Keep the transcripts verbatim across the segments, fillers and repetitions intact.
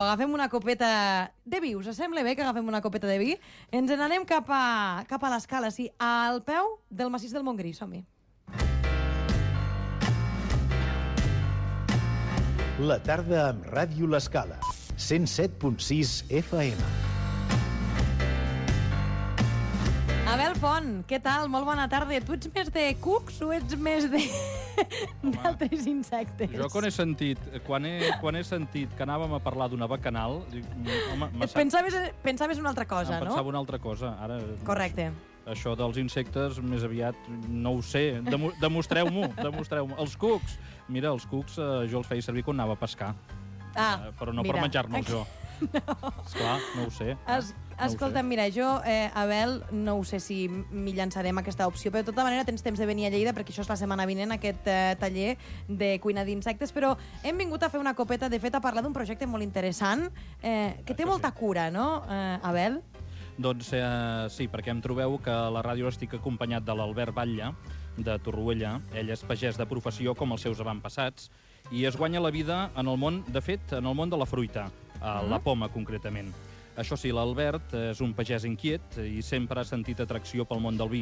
Agafem una copeta de vi. Us sembla bé que agafem una copeta de vi? Ens n'anem cap a, cap a l'escala, sí, al peu del massís del Montgrí. Som-hi. La tarda amb Ràdio L'Escala. cent set punt sis F M. Abel Font, què tal? Molt bona tarda. Tu ets més de cucs o ets més de d'altres insectes? Jo quan he sentit, quan he, quan he sentit que anàvem a parlar d'una bacanal, dic, home, Et pensaves, pensaves una altra cosa, em no? pensava una altra cosa. Ara, Correcte. això dels insectes, més aviat, no ho sé. Demo, demostreu-m'ho, demostreu-m'ho. Els cucs, mira, els cucs eh, jo els feia servir quan anava a pescar. Ah, Eh, però no mira. per menjar-me'ls jo. No. Esclar, no ho sé. Es, No ho escolta'm, sé. mira, jo, eh, Abel, no ho sé si m'hi llançarem a aquesta opció, però de tota manera tens temps de venir a Lleida, perquè això és la setmana vinent, aquest eh, taller de cuina d'insectes, però hem vingut a fer una copeta, de fet, a parlar d'un projecte molt interessant, eh, que té Això molta sí. cura, no, eh, Abel? Doncs eh, sí, perquè em trobeu que a la ràdio estic acompanyat de l'Albert Batlle, de Torroella. Ell és pagès de professió, com els seus avantpassats, i es guanya la vida en el món, de fet, en el món de la fruita, a la poma, concretament. Això sí, l'Albert és un pagès inquiet i sempre ha sentit atracció pel món del vi.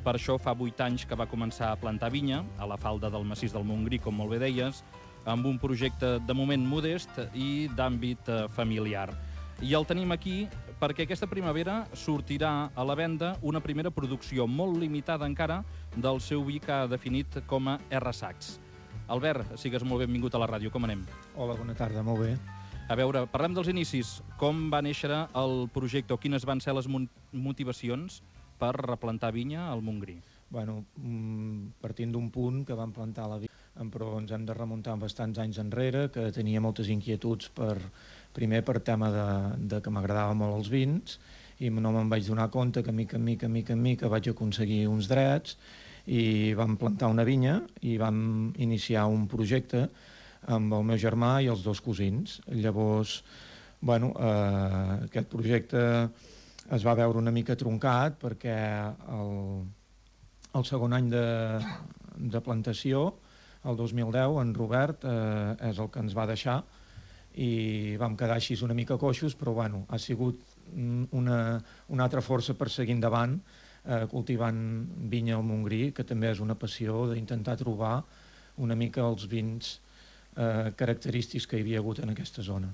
Per això fa vuit anys que va començar a plantar vinya, a la falda del massís del Montgrí, com molt bé deies, amb un projecte de moment modest i d'àmbit eh, familiar. I el tenim aquí perquè aquesta primavera sortirà a la venda una primera producció molt limitada encara del seu vi que ha definit com a R-Sacs. Albert, sigues molt benvingut a la ràdio. Com anem? Hola, bona tarda, molt bé. A veure, parlem dels inicis. Com va néixer el projecte o quines van ser les motivacions per replantar vinya al Montgrí? Bueno, partint d'un punt que vam plantar la vinya, però ens hem de remuntar bastants anys enrere, que tenia moltes inquietuds, per, primer per tema de, de que m'agradaven molt els vins, i no me'n vaig donar compte que mica en mica, mica en mica vaig aconseguir uns drets, i vam plantar una vinya i vam iniciar un projecte amb el meu germà i els dos cosins. Llavors, bueno, eh, aquest projecte es va veure una mica truncat perquè el, el segon any de, de plantació, el dos mil deu, en Robert eh, és el que ens va deixar i vam quedar així una mica coixos, però bueno, ha sigut una, una altra força per seguir endavant eh, cultivant vinya al Montgrí, que també és una passió d'intentar trobar una mica els vins eh, característics que hi havia hagut en aquesta zona.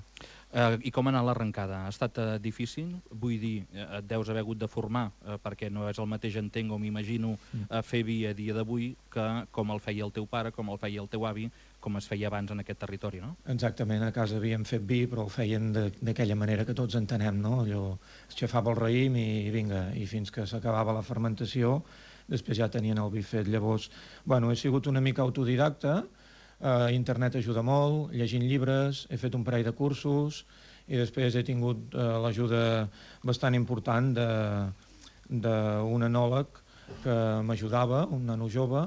Eh, I com ha anat l'arrencada? Ha estat eh, difícil? Vull dir, eh, et deus haver hagut de formar, eh, perquè no és el mateix, entenc o m'imagino, eh, fer vi a dia d'avui que com el feia el teu pare, com el feia el teu avi, com es feia abans en aquest territori, no? Exactament, a casa havíem fet vi, però el feien d'aquella manera que tots entenem, no? Allò, es xafava el raïm i vinga, i fins que s'acabava la fermentació, després ja tenien el vi fet. Llavors, bueno, he sigut una mica autodidacta, Uh, internet ajuda molt, llegint llibres, he fet un parell de cursos i després he tingut uh, l'ajuda bastant important d'un enòleg que m'ajudava, un nano jove,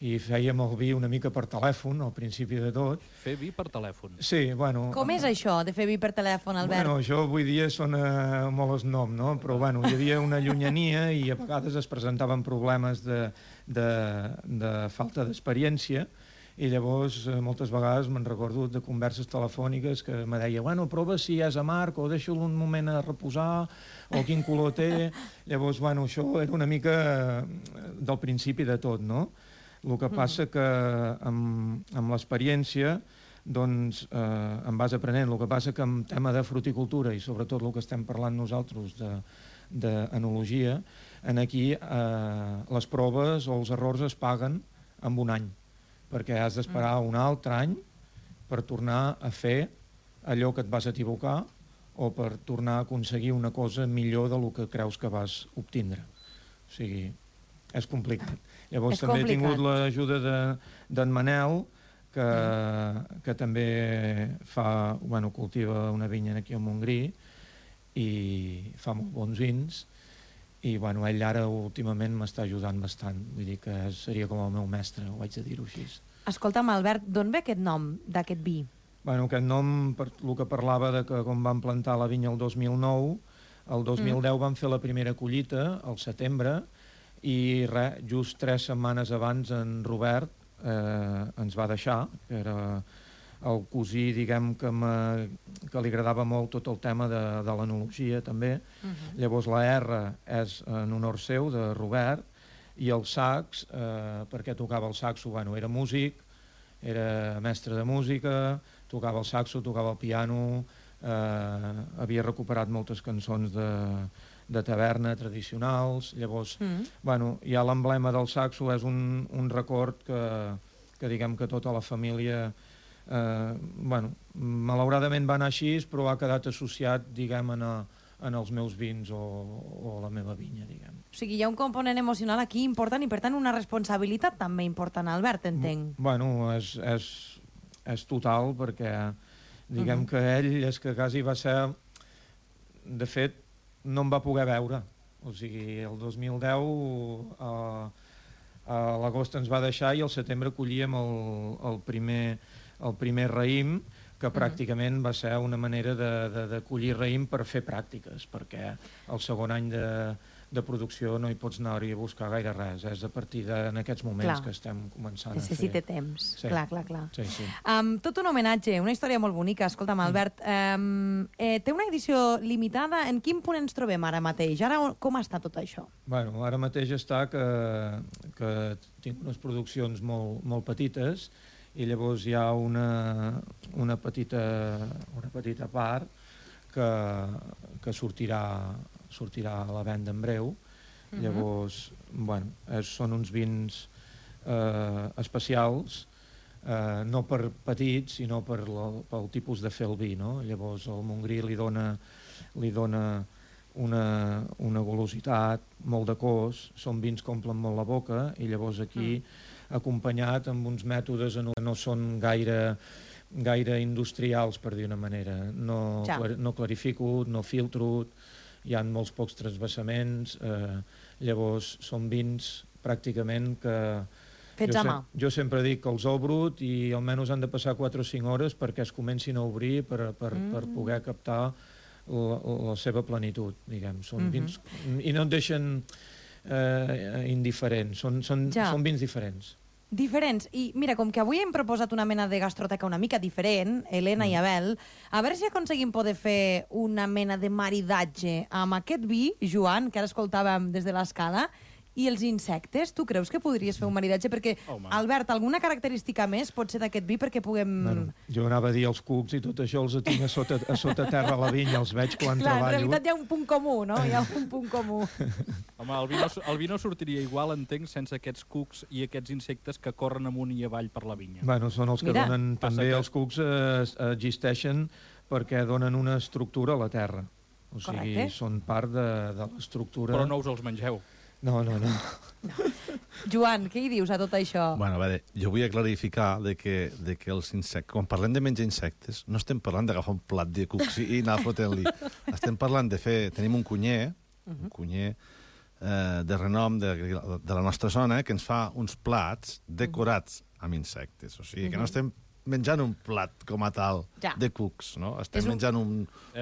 i fèiem el vi una mica per telèfon, al principi de tot. Fer vi per telèfon? Sí, bueno... Com és això, de fer vi per telèfon, Albert? Bueno, això avui dia sona molt esnom, no? Però bueno, hi havia una llunyania i a vegades es presentaven problemes de, de, de falta d'experiència, i llavors moltes vegades me'n recordo de converses telefòniques que me deia, bueno, prova si és amarg o deixa'l un moment a reposar o quin color té. Llavors, bueno, això era una mica del principi de tot, no? El que passa que amb, amb l'experiència doncs eh, em vas aprenent. El que passa que amb tema de fruticultura i sobretot el que estem parlant nosaltres d'enologia, en aquí eh, les proves o els errors es paguen en un any, perquè has d'esperar un altre any per tornar a fer allò que et vas equivocar o per tornar a aconseguir una cosa millor del que creus que vas obtindre. O sigui, és complicat. Llavors és també complicat. he tingut l'ajuda d'en Manel, que, que també fa, bueno, cultiva una vinya aquí al Montgrí i fa molt bons vins, i bueno, ell ara últimament m'està ajudant bastant, vull dir que seria com el meu mestre, ho vaig a dir-ho així. Escolta'm, Albert, d'on ve aquest nom d'aquest vi? Bueno, aquest nom, per el que parlava de que quan vam plantar la vinya el dos mil nou, el dos mil deu vam fer la primera collita, al setembre, i re, just tres setmanes abans en Robert eh, ens va deixar, que era el cosí, diguem, que, que li agradava molt tot el tema de, de l'enologia, també. Uh-huh. Llavors, la R és en honor seu, de Robert, i el sax, eh, perquè tocava el saxo, bueno, era músic, era mestre de música, tocava el saxo, tocava el piano, eh, havia recuperat moltes cançons de, de taverna tradicionals, llavors, mm. bueno, ja l'emblema del saxo és un, un record que, que diguem que tota la família, eh, bueno, malauradament va anar així, però ha quedat associat, diguem, en a, en els meus vins o, o la meva vinya, diguem. O sigui, hi ha un component emocional aquí important i, per tant, una responsabilitat també important, Albert, entenc. Bueno, és, és, és total, perquè diguem uh-huh. que ell és que quasi va ser... De fet, no em va poder veure. O sigui, el dos mil deu a, a l'agost ens va deixar i al setembre collíem el, el, primer, el primer raïm, que pràcticament va ser una manera de, de, de collir raïm per fer pràctiques, perquè el segon any de, de producció no hi pots anar-hi a buscar gaire res, és a partir de, en aquests moments clar. Que estem començant Necessita a fer... temps, sí. clar, clar, clar. Sí, sí. Um, tot un homenatge, una història molt bonica. Escolta'm, Albert, um, eh, té una edició limitada. En quin punt ens trobem ara mateix? Ara com està tot això? Bueno, ara mateix està que, que tinc unes produccions molt, molt petites, i llavors hi ha una, una, petita, una petita part que, que sortirà, sortirà a la venda en breu. Uh-huh. Llavors, bueno, és, són uns vins eh, especials, eh, no per petits, sinó per la, pel tipus de fer el vi, no? Llavors el Montgrí li dona, li dona una, una golositat, molt de cos, són vins que omplen molt la boca, i llavors aquí... Uh-huh. acompanyat amb uns mètodes que no són gaire, gaire industrials, per dir una manera. No, ja. clar, no clarifico, no filtro, hi ha molts pocs transvassaments, eh, llavors són vins pràcticament que... Fets a mà. Jo sempre dic que els obro i almenys han de passar quatre o cinc hores perquè es comencin a obrir per, per, mm. per poder captar la, la seva plenitud, diguem. Són mm-hmm. vins... I no et deixen eh, indiferents, són, són, ja. són vins diferents. Diferents. I mira, com que avui hem proposat una mena de gastroteca una mica diferent, Helena mm. i Abel, a veure si aconseguim poder fer una mena de maridatge amb aquest vi, Joan, que ara escoltàvem des de l'escala, i els insectes. Tu creus que podries fer un maridatge? Perquè, oh, Albert, alguna característica més pot ser d'aquest vi perquè puguem... Bueno, jo anava a dir els cucs i tot això els tinc a sota, a sota terra a la vinya, els veig quan Clar, treballo. En realitat hi ha un punt comú, no? Hi ha un punt comú. Home, el vi, no, el vi no sortiria igual, entenc, sense aquests cucs i aquests insectes que corren amunt i avall per la vinya. Bueno, són els que Mira. donen... També que... els cucs eh, existeixen perquè donen una estructura a la terra. O sigui, Correcte. són part de, de l'estructura... Però no us els mengeu. No, no, no. no. Joan, què hi dius a tot això? Bueno, a veure, jo vull clarificar de que, de que els insectes... Quan parlem de menjar insectes, no estem parlant d'agafar un plat de cucs i anar fotent-li. Estem parlant de fer... Tenim un cunyer, uh-huh. un cunyer eh, de renom de, de la nostra zona, que ens fa uns plats decorats amb insectes. O sigui, uh-huh. que no estem menjant un plat com a tal ja. de cucs, no? Estem un... menjant un,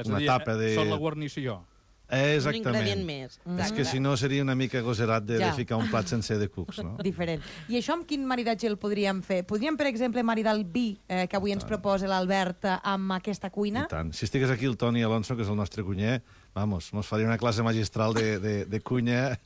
una dir, tapa de... Són la guarnició. Exactament. Un ingredient més. Mm. És que si no seria una mica goserat de, ja. de ficar un plat sencer de cucs, no? Diferent. I això amb quin maridatge el podríem fer? Podríem, per exemple, maridar el vi eh, que avui ens proposa l'Albert amb aquesta cuina? I tant. Si estigués aquí el Toni Alonso, que és el nostre cunyer, vamos, mos faria una classe magistral de, de, de cuina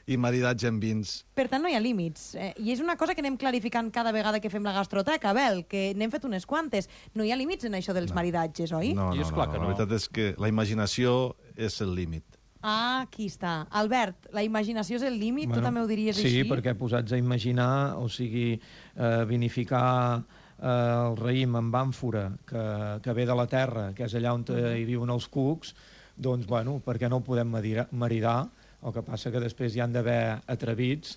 i maridatge amb vins. Per tant, no hi ha límits. Eh, I és una cosa que anem clarificant cada vegada que fem la gastroteca, Abel, que n'hem fet unes quantes. No hi ha límits en això dels no. maridatges, oi? No, no, no, no. La veritat és que la imaginació és el límit. Ah, aquí està. Albert, la imaginació és el límit? Bueno, tu també ho diries sí, així? Sí, perquè posats a imaginar, o sigui, eh, vinificar eh, el raïm amb àmfora, que, que ve de la terra, que és allà on uh-huh. hi viuen els cucs, doncs, bueno, per què no ho podem maridar? El que passa que després hi han d'haver atrevits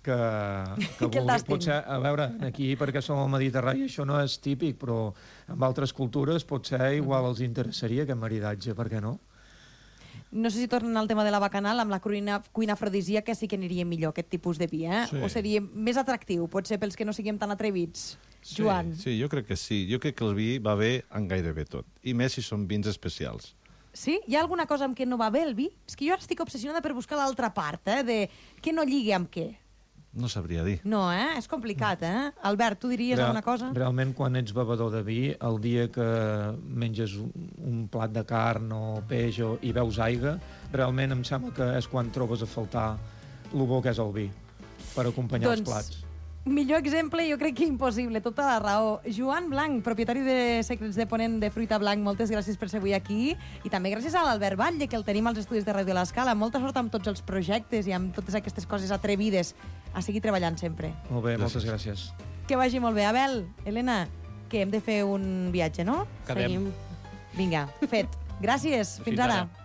que, que, que vulgui, potser, a veure, aquí perquè som al Mediterrani això no és típic, però en altres cultures potser igual els interessaria aquest maridatge, per què no? No sé si tornen al tema de la bacanal, amb la cuina, cuina afrodisíaca sí que aniria millor aquest tipus de vi, eh? Sí. O seria més atractiu, potser pels que no siguem tan atrevits. Sí, Joan. Sí, jo crec que sí. Jo crec que el vi va bé en gairebé tot. I més si són vins especials. Sí? Hi ha alguna cosa amb què no va bé el vi? És que jo ara estic obsessionada per buscar l'altra part, eh? De què no lligui amb què. No sabria dir. No, eh? És complicat, eh? Albert, tu diries Real, alguna cosa? Realment, quan ets bevedor de vi, el dia que menges un, un plat de carn o peix o, i veus aigua, realment em sembla que és quan trobes a faltar el bo que és el vi per acompanyar doncs, els plats. Millor exemple, jo crec que impossible, tota la raó. Joan Blanc, propietari de Secrets de Ponent de Fruita Blanc, moltes gràcies per ser avui aquí. I també gràcies a l'Albert Batlle, que el tenim als estudis de Ràdio L'Escala. Molta sort amb tots els projectes i amb totes aquestes coses atrevides. A seguir treballant sempre. Molt bé, Gràcies. moltes gràcies. Que vagi molt bé. Abel, Helena, que hem de fer un viatge, no? Quedem. Vinga, fet. Gràcies. Fins, Fins ara. ara.